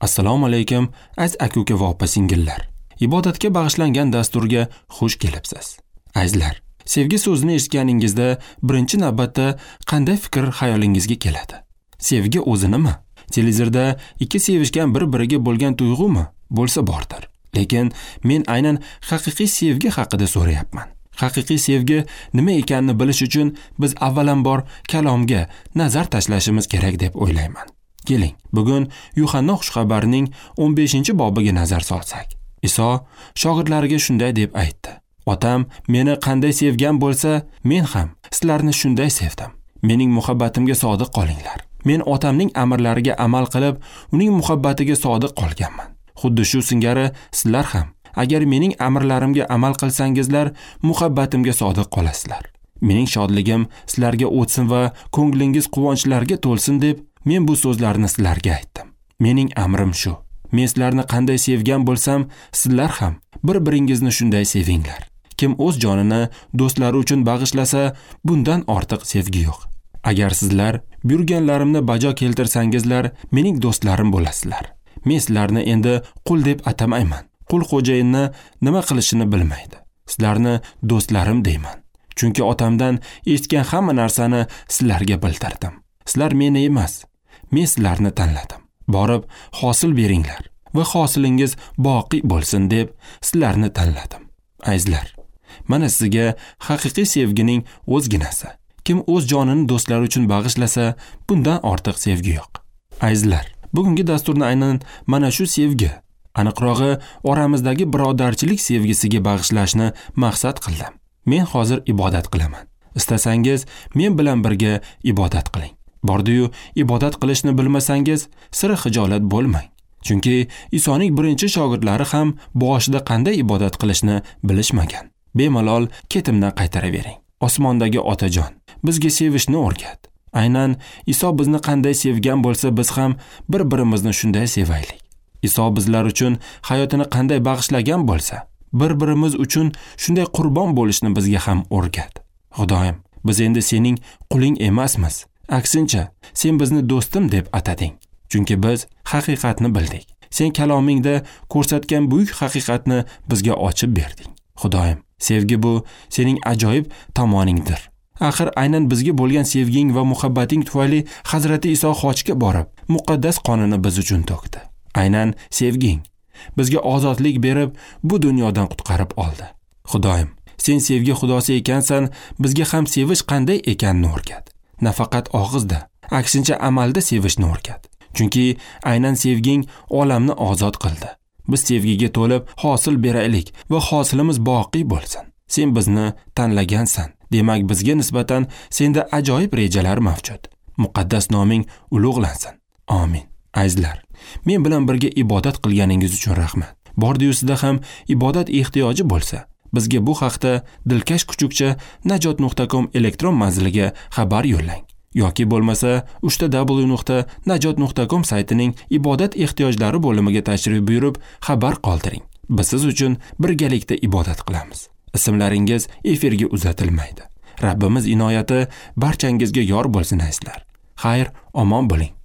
Assalomu alaykum, aziz aka-uka va opa-singillar. Ibodatga bag'ishlangan dasturga xush kelibsiz. Azizlar, sevgi so'zini eshitganingizda birinchi navbatda qanday fikr xayolingizga keladi? Sevgi o'zi nima? Televizorda ikki sevishgan bir-biriga bo'lgan tuyg'umi? Bo'lsa bordir. Lekin men aynan haqiqiy sevgi haqida so'rayapman. Haqiqiy sevgi nima ekanini bilish uchun biz avvalambor kalomga nazar tashlashimiz kerak deb o'ylayman. Keling, bugun Yuhanna xushxabarining 15-bobiga nazar solsak. Iso shogirdlariga shunday deb aytdi: Otam meni qanday sevgan bo'lsa, men ham sizlarni shunday sevdim. Mening muhabbatimga sodiq qolinglar. Men otamning amrlariga amal qilib, uning muhabbatiga sodiq qolganman. Xuddi shu singari sizlar ham agar mening amrlarimga amal qilsangizlar, muhabbatimga sodiq qolasizlar. Mening shodligim sizlarga o'tsin va ko'nglingiz quvonchlarga to'lsin deb men bu so'zlarni sizlarga aytdim. Mening amrim shu. Men sizlarni qanday sevgan bo'lsam, sizlar ham bir-biringizni shunday sevinglar. Kim o'z jonini do'stlari uchun bag'ishlasa, bundan ortiq sevgi yo'q. Agar sizlar buyurganlarimni bajo keltirsangizlar, mening do'stlarim bo'lasizlar. Men sizlarni endi qul deb atamayman. Qul xo'jayinni nima qilishini bilmaydi. Sizlarni do'stlarim deyman. Chunki otamdan eshitgan hamma narsani sizlarga bildirdim. Sizlar meni emas, men sizlarni tanladim. Borib hosil beringlar va hosilingiz boqiy bo'lsin deb sizlarni tanladim. Azizlar, mana sizga haqiqiy sevgining o'zginasi. Kim o'z jonini do'stlari uchun bag'ishlasa, bundan ortiq sevgi yo'q. Azizlar, bugungi dasturni aynan mana shu sevgi, aniqrog'i oramizdagi birodarchilik sevgisiga bag'ishlashni maqsad qildim. Men hozir ibodat qilaman. Istasangiz, men bilan birga ibodat qiling. Bordi-yu, ibodat qilishni bilmasangiz, sira xijolat bo'lmang. Chunki Isoning birinchi shogirdlari ham boshida qanday ibodat qilishni bilishmagan. Bemalol ketimdan qaytaravering. Osmondagi Otajon, bizga sevishni o'rgat. Aynan Iso bizni qanday sevgan bo'lsa, biz ham bir-birimizni shunday sevaylik. Iso bizlar uchun hayotini qanday bag'ishlagan bo'lsa, bir-birimiz uchun shunday qurbon bo'lishni bizga ham o'rgat. Xudoyim, biz endi sening quling emasmiz. Aksincha, sen bizni do'stim deb atading. Chunki biz haqiqatni bildik. Sen kalomingda ko'rsatgan buyuk haqiqatni bizga ochib berding. Xudoyim, sevgi bu sening ajoyib tomoningdir. Axir aynan bizga bo'lgan sevging va muhabbating tufayli Hazrati Iso xochga borib, muqaddas qonini biz uchun to'kdi. Aynan sevging bizga ozodlik berib, bu dunyodan qutqarib oldi. Xudoyim, sen sevgi xudosi ekansan, bizga ham sevish qanday ekanini o'rgat. Nafaqat og'izda, aksincha amalda sevishni o'rgat. Chunki aynan sevging olamni ozod qildi. Biz sevgiga to'lib hosil beraylik va hosilimiz boqiy bo'lsin. Sen bizni tanlagansan. Demak, bizga nisbatan senda ajoyib rejalar mavjud. Muqaddas noming ulug'lansin. Amin. Azizlar, men bilan birga ibodat qilganingiz uchun rahmat. Bordi-yu sizda ham ibodat ehtiyoji bo'lsa, bizga bu haqda dilkash kuchukcha najot.com elektron manziliga xabar yo'llang. Yoki bo'lmasa www.najot.com saytining ibodat ehtiyojlari bo'limiga tashrif buyurib xabar qoldiring. Biz siz uchun birgalikda ibodat qilamiz. Ismlaringiz efirga uzatilmaydi. Rabbimiz inoyati barchangizga yor bo'lsin azizlar. Xayr, omon bo'ling.